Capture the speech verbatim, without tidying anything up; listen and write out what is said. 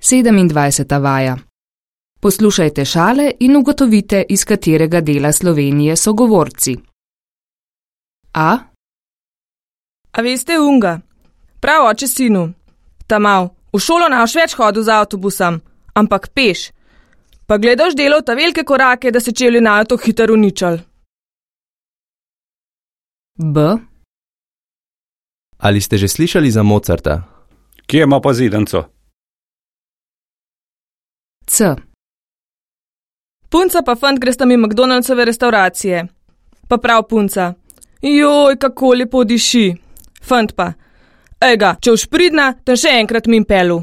sedemindvajseta vaja. Poslušajte šale in ugotovite, iz katerega dela Slovenije so govorci. A. A veste unga? Prav oče sinu. Tamav, v šolo naš več hodil z avtobusom, ampak peš. Pa gledaš delal ta velike korake, da se čevlji najo to hitro uničal. B. Ali ste že slišali za Mozarta? Kje ima pa zidanco? C. Punca pa fant gresta mi McDonald'sove restauracije. Pa prav punca. Joj, kako lepo diši. Fant pa. Ejga, če už pridna, ten še enkrat mi pelu.